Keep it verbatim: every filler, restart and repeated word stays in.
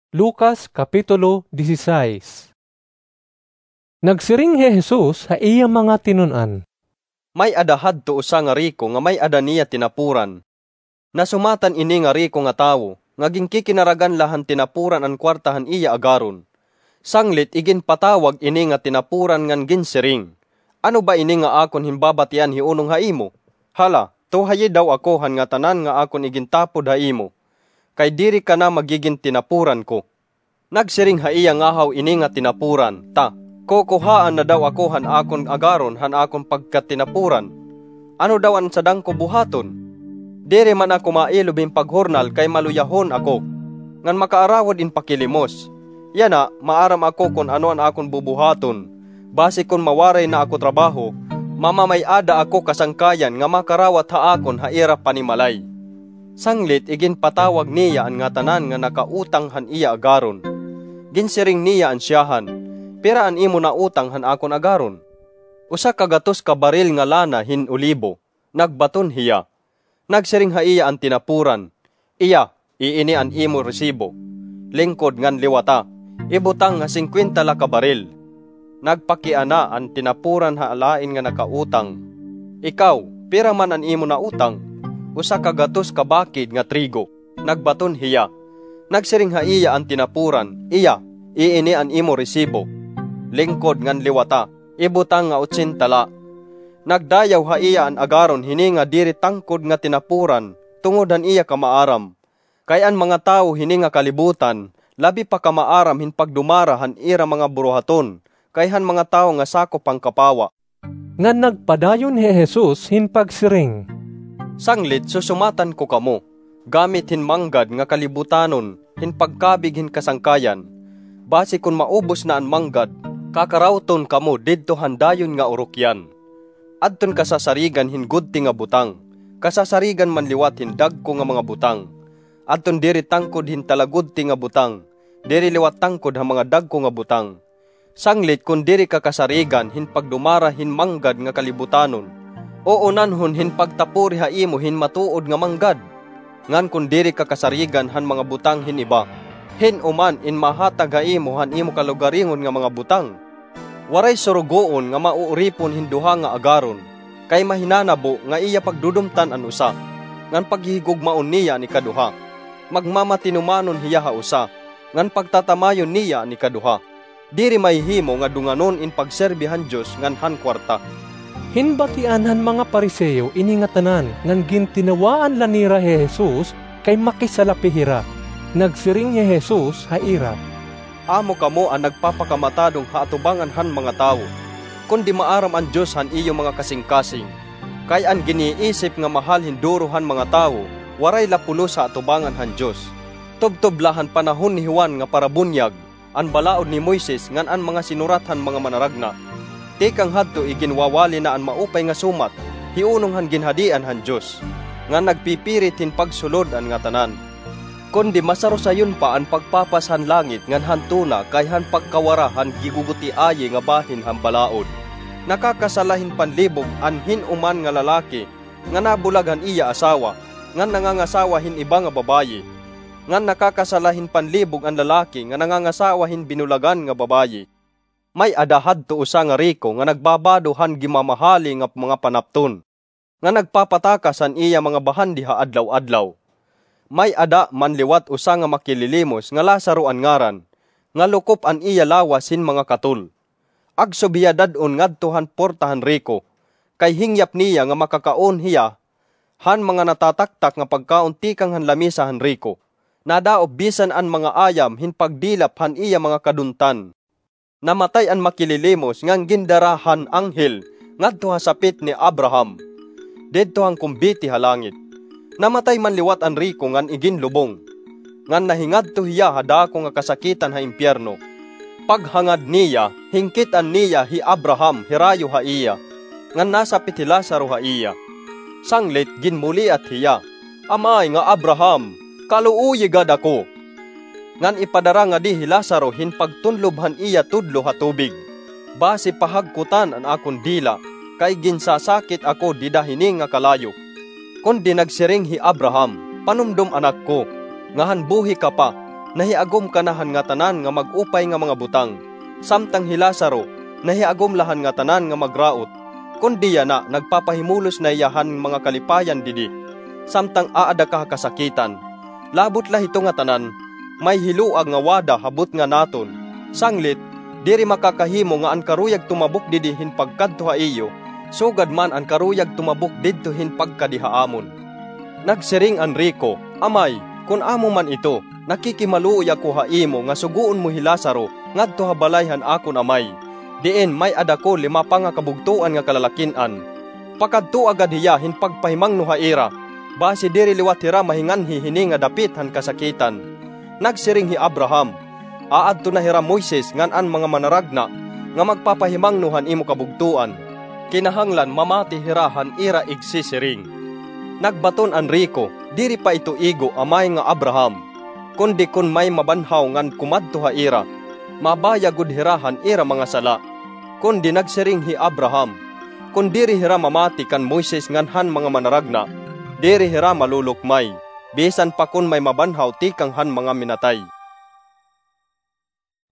Lucas, Kapitulo dieciséis. Nagsiring hi Jesus ha iya mga tinun-an, "May-ada hadto usa nga riko nga may-ada niya tinapuran. Nasumatan ini nga riko nga tawo nga ginkikinaragan la han tinapuran an kuwarta han iya agaron. Sanglit iginpatawag ini nga tinapuran ngan ginsiring, 'Ano ba ini nga akon hinbabatian hiunong ha imo? Hala, tuhayi daw ako han ngatanan nga akon igintapod ha imo, kay diri ka na magigin tinapuran ko.' Nagsiring ha iya ngahaw ini nga tinapuran, 'Ta, kukuhaan na daw ako han akon agaron han akon pagkatinapuran. Ano daw an sadang ko buhaton? Diri man ako mailob hin paghurnal kay maluyahon ako, ngan makaarawod in pakilimos. Yana, maaram ako kon ano an akon bubuhaton. Basi kon mawaray na ako trabaho, mamamay-ada ako kasangkayan nga makarawat ha akon ha ira panimalay.' Sanglit iginpatawag niya an ngatanan nga nakautang han iya agaron. Ginsiring niya an syahan, 'Pira an imo nautang han akon agaron?' 'Usa ka gatos ka baril nga lana hin olibo,' nagbaton hiya. Nagsiring ha iya an tinapuran, 'Iya, iini an imo resibo. Lingkod ngan liwata, ibutang nga singkwenta la ka baril.' Nagpakiana an tinapuran ha lain nga nakautang. 'Ikaw, pira man an imo nautang?' 'Usa ka gatos ka bakid nga trigo,' nagbaton hiya. Nagsiring ha iya an tinapuran, 'Iya, iini an imo resibo. Lingkod ngan liwata, ibutang nga otsenta la.' Nagdayaw ha iya an agaron hini nga diri tangkod nga tinapuran tungod han iya kamaaram. Kay an mga tawo hini nga kalibutan labi pa kamaaram hin pagdumara han ira mga buruhaton kay han mga tawo nga sakop han kapawa. Ngan nagpadayon hi Jesus hin pagsiring, "Sanglit susumatan ko kamo, gamit hin manggad nga kalibutanon hin pagkabig hin kasangkayan. Basi kon maubos na an manggad, kakarawton kamo didto han dayon nga urukyan. Adton kasasarigan hin gudti nga butang, kasasarigan man liwat hin dagko nga mga butang. Adton diri tangkod hin talagudti nga butang, diri liwat tangkod ha mga dagko nga butang. Sanglit kon diri ka kasarigan hin pagdumara hin manggad nga kalibutanon, uunanhon hin pagtapuri ha imo hin matuod nga manggad. Ngan kon diri ka kasarigan han mga butang hin iba, hin-o man in mahatag ha imo han imo kalugaringon nga mga butang? Waray surugoon nga mauuripon hin duha nga agaron, kay mahinanabo nga iya pagdudumtan an usa, ngan paghihigugmaon niya an ikaduha. Magmamatinumanon hiya ha usa, ngan pagtatamayon niya an ikaduha. Diri mahihimo nga dunganon in pagserbi han Dios ngan han kuwarta." Hinbatian han mga Fariseo ini nga tanan, ngan gintinawaan la nira hi Jesus kay makisalapi hira. Nagsiring hi Jesus ha ira, "Amo kamo an nagpapakamatadong ha atubangan han mga tawo, kundi maaram an Dios han iyo mga kasingkasing. Kay an giniisip nga mahal hin duro han mga tawo, waray la pulos ha atubangan han Dios. Tubtob la han panahon ni Juan nga parabunyag, an balaod ni Moises ngan an mga sinurat han mga manaragna. Tikang hadto iginwawali na an maupay nga sumat hiunong han Ginhadian han Dios, ngan nagpipirit hin pagsulod an ngatanan. Kundi masarusayon pa an pagpapas han langit ngan han tuna kay han pagkawara han gigugutiayi nga bahin han balaod. Nakakasala hin panlibog an hin-o man nga lalaki nga nabulag han iya asawa, ngan nangangasawa hin iba nga babayi. Ngan nakakasala hin panlibog an lalaki nga nangangasawa hin binulagan nga babayi. May-ada hadto usa nga riko nga nagbabado han gimamahali nga mga panapton, nga nagpapatakas han iya mga bahandi ha adlaw-adlaw. May-ada man liwat usa nga makililimos nga Lazaro an ngaran, nga lukop an iya lawas hin mga katol. Agsob hiya dad-on ngadto han porta han riko, kay hingyap niya nga makakaon hiya han mga natataktak nga pagkaon tikang han lamesa han riko. Nadaop bisan an mga ayam hin pagdilap han iya mga kaduntan. Namatay an makililimos ngan gindara han anghel ngadto ha sapit ni Abraham, didto han kumbiti ha langit. Namatay man liwat an riko ngan iginlubong, ngan nahingadto hiya ha dako nga kasakitan ha impyerno. Paghangad niya, hingkit-an niya hi Abraham hirayo ha iya, ngan nasapit hi Lazaro ha iya. Sanglit ginmuliat hiya, 'Amay nga Abraham, kaluoyi gad ako, ngan ipadara ngadi hi Lazaro hin pagtunlob han iya tudlo ha tubig, basi pahagkutan an akon dila, kay ginsasakit ako dida hini nga kalayo.' Kundi nagsiring hi Abraham, 'Panumdom, anak ko, nga han buhi ka pa, nahiagom kana han ngatanan nga mag-upay nga mga butang, samtang hi Lazaro nahiagom la han ngatanan nga magraot. Kundi yana nagpapahimulos na hiya han mga kalipayan didi, samtang aada ka ha kasakitan. Labot la hito ngatanan, may hiluag nga wada ha butnga naton. Sanglit, diri makakahimo nga an karuyag tumabok didi hin pagkadto ha iyo, sugad man an karuyag tumabok didto hin pagkadi ha amon. Nagsiring an riko, "Amay, kon amo man ito, nakikimaluoy ako ha imo nga sugoon mo hi Lazaro ngadto ha balay han akon amay, diin may-ada ko lima pa nga kabugtoan nga kalalakin-an. Pakadtoa gad hiya hin pagpahimangno ha ira, basi diri liwat hira mahinganhi hini nga dapit han kasakitan." Nagsiring hi Abraham, "Aadto na hira Moises ngan an mga manaragna nga magpapahimangno han imo kabugtoan. Kinahanglan mamati hira han ira igsisiring." Nagbaton an riko, "Diri pa ito igo, amay nga Abraham, kundi kon may mabanhaw ngan kumadto ha ira, mabaya gud hira han ira mga sala." Kundi nagsiring hi Abraham, "Kon diri hira mamati kan Moises ngan han mga manaragna, diri hira malulukmay, bisan pa kon may mabanhaw tikang han mga minatay."